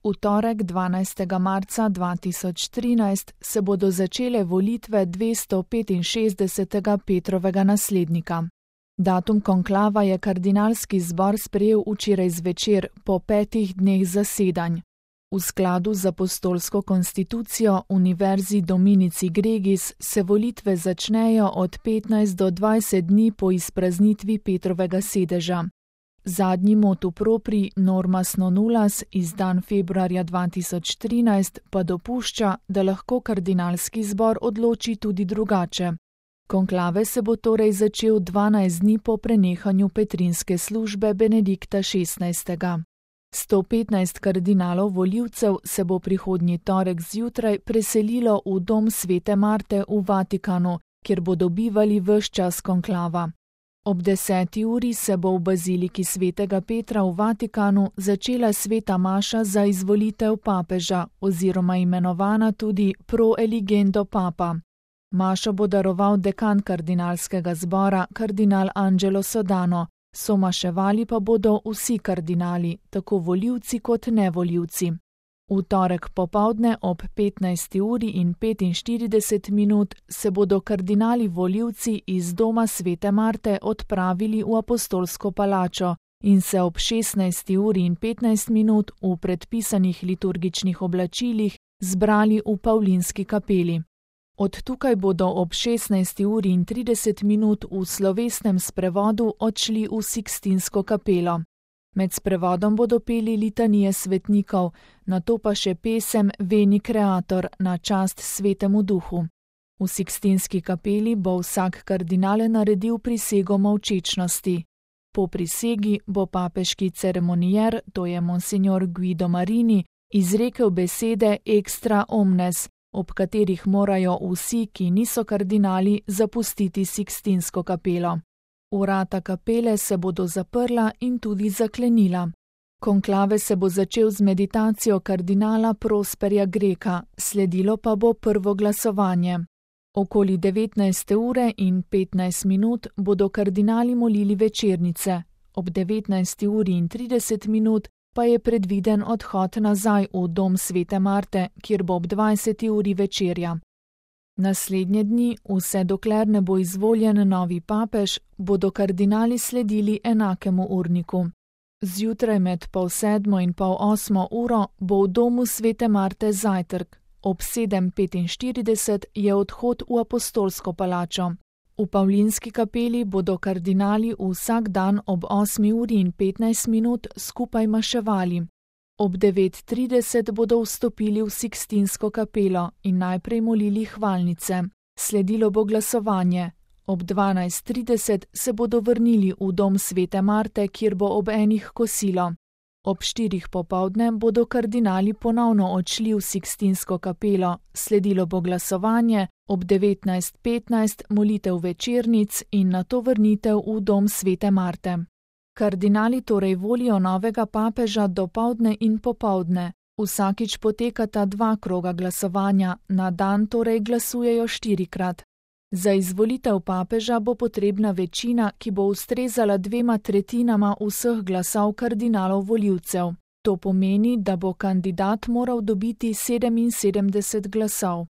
V torek 12. marca 2013 se bodo začele volitve 265. Petrovega naslednika. Datum konklava je kardinalski zbor sprejel včeraj zvečer po 5 dneh zasedanj. V skladu z apostolsko konstitucijo Univerzi Dominici Gregis se volitve začnejo od 15 do 20 dni po izpraznitvi Petrovega sedeža. Zadnji motu propri Normas non nullas, izdan februarja 2013, pa dopušča, da lahko kardinalski zbor odloči tudi drugače. Konklave se bo torej začel 12 dni po prenehanju petrinske službe Benedikta XVI. 115 kardinalov volivcev se bo prihodnji torek zjutraj preselilo v dom Svete Marte v Vatikanu, kjer bodo bivali ves čas konklava. Ob 10. uri se bo v baziliki Svetega Petra v Vatikanu začela sveta maša za izvolitev papeža oziroma imenovana tudi pro eligendo papa. Mašo bo daroval dekan kardinalskega zbora, kardinal Angelo Sodano, somaševali pa bodo vsi kardinali, tako volivci kot nevolivci. V torek popoldne ob 15. uri in 45 minut se bodo kardinali volivci iz doma Svete Marte odpravili v apostolsko palačo in se ob 16. uri in 15 minut v predpisanih liturgičnih oblačilih zbrali v Pavlinski kapeli. Od tukaj bodo ob 16. uri in 30 minut v slovesnem sprevodu odšli v Sikstinsko kapelo. Med sprevodom bodo peli litanije svetnikov, nato pa še pesem Veni Creator na čast Svetemu Duhu. V Sikstinski kapeli bo vsak kardinal naredil prisego molčečnosti. Po prisegi bo papeški ceremonijer, to je monsignor Guido Marini, izrekel besede extra omnes, ob katerih morajo vsi, ki niso kardinali, zapustiti Sikstinsko kapelo. Vrata kapele se bodo zaprla in tudi zaklenila. Konklave se bo začel z meditacijo kardinala Prosperja Greka, sledilo pa bo prvo glasovanje. Okoli 19. ure in 15 minut bodo kardinali molili večernice, ob 19. uri in 30 minut pa je predviden odhod nazaj v dom Svete Marte, kjer bo ob 20. uri večerja. Naslednje dni, vse dokler ne bo izvoljen novi papež, bodo kardinali sledili enakemu urniku. Zjutraj med 7:30 in 7:30 uro bo v domu Svete Marte zajtrk, ob 7:45 je odhod v apostolsko palačo. V Pavlinski kapeli bodo kardinali vsak dan ob 8. uri in 15 minut skupaj maševali. Ob 9:30 bodo vstopili v Sikstinsko kapelo in najprej molili hvalnice. Sledilo bo glasovanje. Ob 12:30 se bodo vrnili v dom Svete Marte, kjer bo ob enih kosilo. Ob 4. popoldne bodo kardinali ponovno odšli v Sikstinsko kapelo, sledilo bo glasovanje, ob 19:15 molitev večernic in nato vrnitev v dom Svete Marte. Kardinali torej volijo novega papeža dopoldne in popoldne. Vsakič potekata 2 kroga glasovanja, na dan torej glasujejo 4-krat. Za izvolitev papeža bo potrebna večina, ki bo ustrezala 2/3 vseh glasov kardinalov volivcev. To pomeni, da bo kandidat moral dobiti 77 glasov.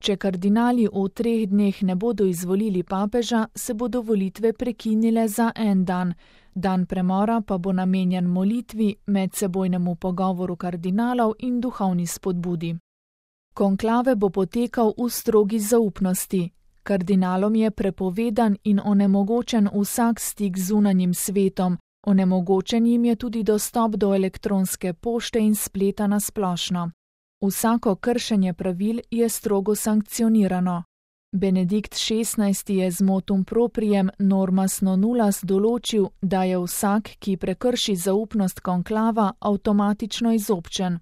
Če kardinali v 3 dneh ne bodo izvolili papeža, se bodo volitve prekinile za en dan. Dan premora pa bo namenjen molitvi, medsebojnemu pogovoru kardinalov in duhovni spodbudi. Konklave bo potekal v strogi zaupnosti. Kardinalom je prepovedan in onemogočen vsak stik z zunanjim svetom, onemogočen jim je tudi dostop do elektronske pošte in spleta na splošno. Vsako kršenje pravil je strogo sankcionirano. Benedikt XVI je z motum proprijem Normas non nullas določil, da je vsak, ki prekrši zaupnost konklava, avtomatično izobčen.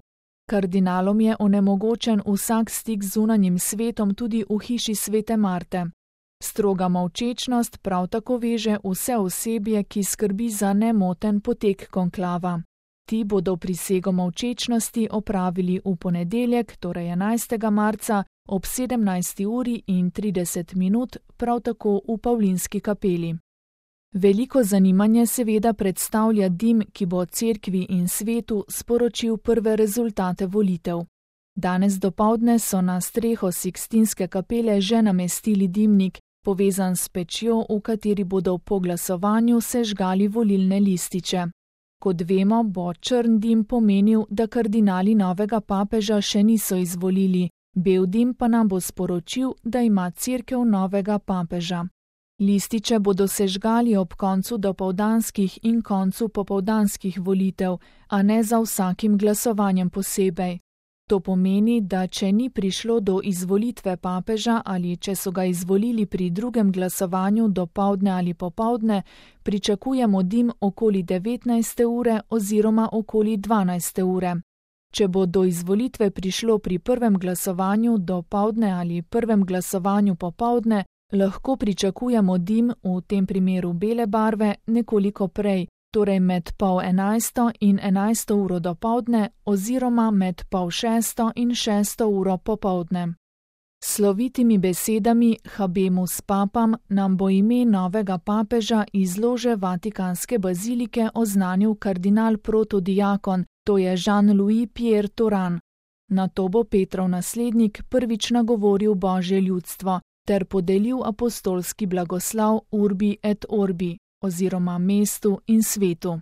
Kardinalom je onemogočen vsak stik z zunanjim svetom tudi v hiši Svete Marte. Stroga molčečnost prav tako veže vse osebje, ki skrbi za nemoten potek konklava. Ti bodo prisego molčečnosti opravili v ponedeljek, torej 11. marca, ob 17. uri in 30 minut, prav tako v Pavlinski kapeli. Veliko zanimanje seveda predstavlja dim, ki bo cerkvi in svetu sporočil prve rezultate volitev. Danes dopoldne so na streho Sikstinske kapele že namestili dimnik, povezan s pečjo, v kateri bodo po glasovanju sežgali volilne lističe. Kot vemo, bo črn dim pomenil, da kardinali novega papeža še niso izvolili, bel dim pa nam bo sporočil, da ima cerkev novega papeža. Lističe bodo sežgali ob koncu dopoldanskih in koncu popoldanskih volitev, a ne za vsakim glasovanjem posebej. To pomeni, da če ni prišlo do izvolitve papeža ali če so ga izvolili pri drugem glasovanju dopoldne ali popoldne, pričakujemo dim okoli 19. ure oziroma okoli 12. ure. Če bo do izvolitve prišlo pri prvem glasovanju dopoldne ali prvem glasovanju popoldne, lahko pričakujemo dim, v tem primeru bele barve, nekoliko prej, torej med 10:30 in 11. uro dopoldne oziroma med 5:30 in 6. uro popoldne. S slovitimi besedami Habemus Papam nam bo ime novega papeža iz lože Vatikanske bazilike oznanil kardinal protodiakon, to je Jean-Louis Pierre Turan. Nato bo Petrov naslednik prvič nagovoril Božje ljudstvo ter podelil apostolski blagoslov Urbi et Orbi oziroma mestu in svetu.